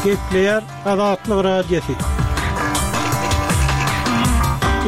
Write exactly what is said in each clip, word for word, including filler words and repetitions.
Gepleýär Azatlyk Radiosy.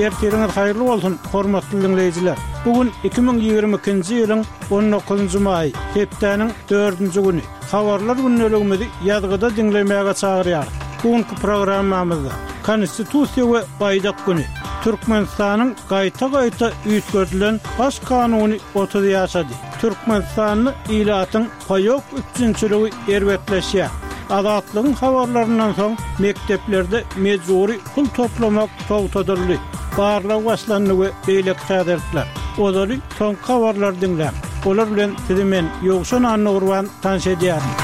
Ertiriňiz haýyrly bolsun, hormatly diňleýjiler! Bu gün iki müň ýigrimi ikinji ýylyň on dokuzynjy maýy, hepdäniň dördünji güni. Habarlar gündeligimizi ýazgyda diňlemäge çagyrýarys. Bu günki programmamyzda Konstitusiýa we Baýdak güni, Türkmenistanyň gaýta-gaýta üýtgedilen Baş kanuny otuz ýaşady, Türkmenistanda ilatyň paýok üpjünçiligi erbetleşýär, Azatlygyň habarlaryndan soň mekdeplerde mejbury pul toplamak togtadyldy, barlag başlandy we beýleki täzelikler. Ozaly soňky habarlary diňläň. Olar bilen sizi men, Ýowşan Annagurban, tanyş edýärin.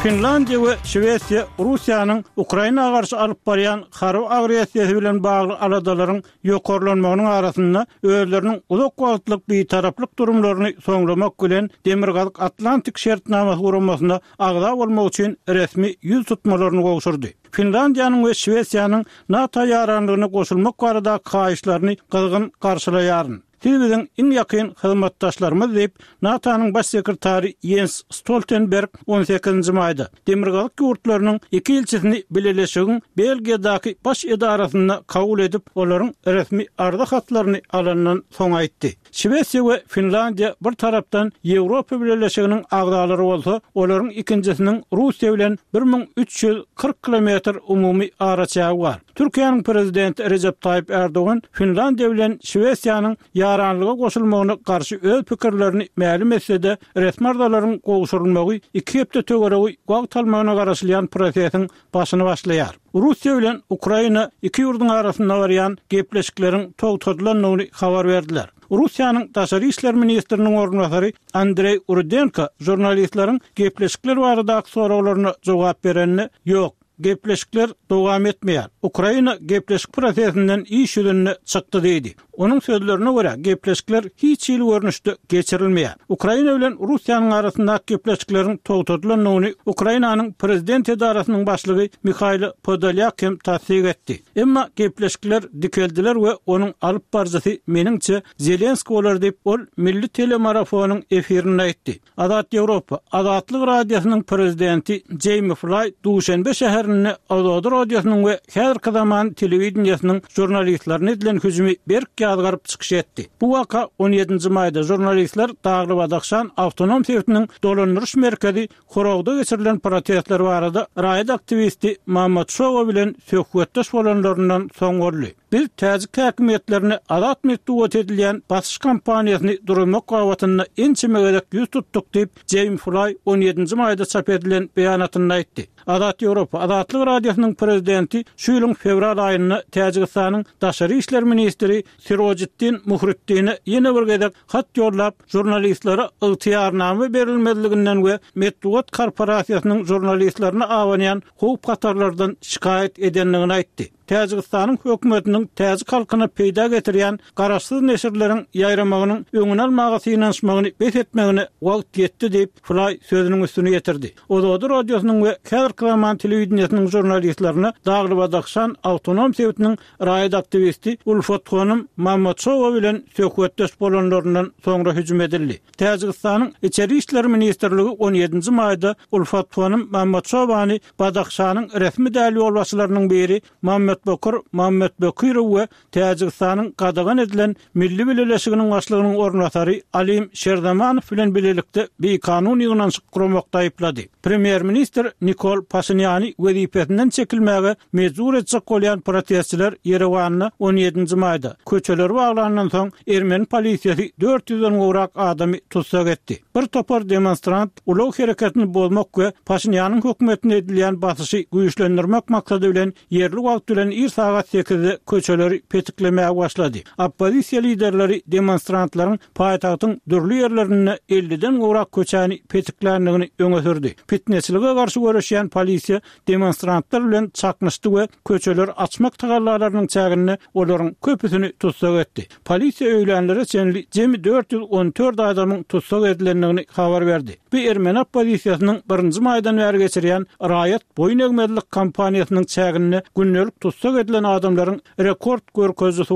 Finlandiýa we Şwesiýa Russiýanyň Ukraina garşy alyp barýan harby agressiýasy bilen bagly aladalaryň ýokarlanmagynyň arasynda özleriniň uzak wagtlyk bitaraplyk durumlaryny soňlamak bilen Demirgazyk Atlantik şertnamasy guramasyna agza bolmak üçin resmi ýüz tutmalaryny gowşurdy. Finlandiýanyň we Şwesiýanyň NATO ýaranlygyna goşulmak baradaky haýyşlaryny gyzgyn garşylaýaryn. Siz biziň iň ýakyn hyzmatdaşlarymyz diýip, NATO-nyň baş sekretary Ýens Stoltenberg on sekizinji maýda Demirgazyk ýurtlarynyň iki ilçisini bileleşigiň Belgiýadaky baş edarasynda kabul edip, olaryň resmi arza hatlaryny alandan soň aýtdy. Şwesiýa we Finlandiýa bir tarapdan Ýewropa Bileleşiginiň agzalary bolsa, olaryň ikinjisiniň Russiýa bilen bir müň üç ýüz kyrk kilometr umumy araçägi bar. Türkiýäniň prezidenti Rejep Taýyp Ärdogan Finlandiýa bilen Şwesiýanyň ýaranlyga goşulmagyna garşy öz pikirlerini mälim etse-de, resmi arzalaryň gowşurylmagy iki hepde töweregi wagt almagyna garaşylýan prosesiň başyny başlaýar. Russiýa bilen Ukraina iki ýurduň arasynda barýan gepleşikleriň togtadylandygyny habar berdiler. Russiýanyň daşary işler ministriniň orunbasary Andreý Rudenko žurnalistleriň gepleşikler baradaky soraglaryna jogap berende, Ýok, gepleşikler dowam etmeýär. Ukraina gepleşik prosesinden iş ýüzünde çykdy diýdi. Onuň sözlerine görä, gepleşikler hiç hili görnüşde geçirilmeýär. Ukraina bilen Russiýanyň arasyndaky gepleşikleriň togtadylandygyny Ukrainanyň prezident edarasynyň başlygy Mihailo Podolýak hem tassyk etdi. Emma gepleşikler dikeldiler we onuň alyp baryjysy meniňçe Zelenskiý bolar diýip, ol milli telemarafonyň efirinde aýtdy. Azat Ýewropa, Azatlyk Radiosynyň prezidenti Jeými Flaý Duşenbe şäherinde Ozodi radiosynyň we häzirki zaman telewideniýesiniň žurnalistlerine edilen hüjümi berk ýazgaryp çykyş etdi. Bu waka on ýedinji maýda žurnalistler Dagly-Badahşan awtonom sebitiniň dolandyryş merkezi Horogda geçirilen protestler barada raýat aktiwisti Mammad Şowa bilen söhbetdeş bolanlaryndan soň boldy. Biz täjik häkimiýetlerine azat metbugat edilýän basyş kampaniýasyny duruzmak babatynda ençeme gezek ýüz tutduk diýip, Jeým Flaý on ýedinji maýda çap edilen beýanatynda aýtdy. Azat Ýewropa, Azatlyk Radiosynyň prezidenti şu ýylyň fewral aýynda Täjigistanyň daşary işler ministri Sirojiddin Muhriddine ýene bir gezek hat ýollap, žurnalistlere ygtyýarnama berilmezliginden we metbugat korporasiýasynyň žurnalistlerine abanýan howp-hatarlardan şikaýat edendigini aýtdy. Täjigistanyň hökümetiniň täjik halkyna peýda getirýän garaşsyz neşirleriň ýaýramagynyň öňüni almaga synanyşmagyny bes etmegine wagt ýetdi diýip, Flaý sözüniň üstüni ýetirdi. Ozodi radiosynyň we häzirki zaman telewideniýesiniň žurnalistlerine Dagly-Badahşan awtonom sebitiniň raýat aktiwisti Ulfathonym Mamadşowa bilen söhbetdeş bolanlaryndan soňra hüjüm edildi. Täjigistanyň Içeri işler ministrligi on ýedinji maýda Ulfathonym Mamadşowany Badahşanyň resmi däl ýolbaşçylarynyň biri Mammetbokir Mammetbokirow we Täjigistanyň gadagan edilen Milli bileleşiginiň başlygynyň orunbasary Alim Şerzamanow bilen bilelikde bikanun ýygnanyşyk guramakda aýyplady. Premýer-ministr Nikol Paşinýany wezipesinden çekilmäge mejbur etjek bolýan protestçiler Ýerewanda on ýedinji maýda, köçeleri baglandan soň, ermeni polisiýasy dört ýüzden gowrak adamy tussag etdi. Bir topar demonstrant ulag hereketini bozmak we Paşinýanyň hökümetine edilýän basyşy güýçlendirmek maksady bilen ýerli wagt bilen ir sagat sekizde köçeleri petiklemäge başlady. Oppozisiýa liderleri demonstrantlaryň paýtagtyň dürli ýerlerinde elliden gowrak köçäni petikländigini öňe sürdi. Pitneçilige garşy göreşýän polisiýa demonstrantlar bilen çaknyşdy we köçeleri açmak tagallalarynyň çäginde olaryň köpüsini tussag etdi. Polisiýa öýlänlere çenli jemi dört ýüz on dört adamyň tussag edilendigini habar berdi. Bu ermeni oppozisiýasynyň birinji maýdan bäri geçirýän raýat boýun egmezlik kampaniýasynyň çäginde gündelik tussag edilen adamlaryň rekord görkezijisi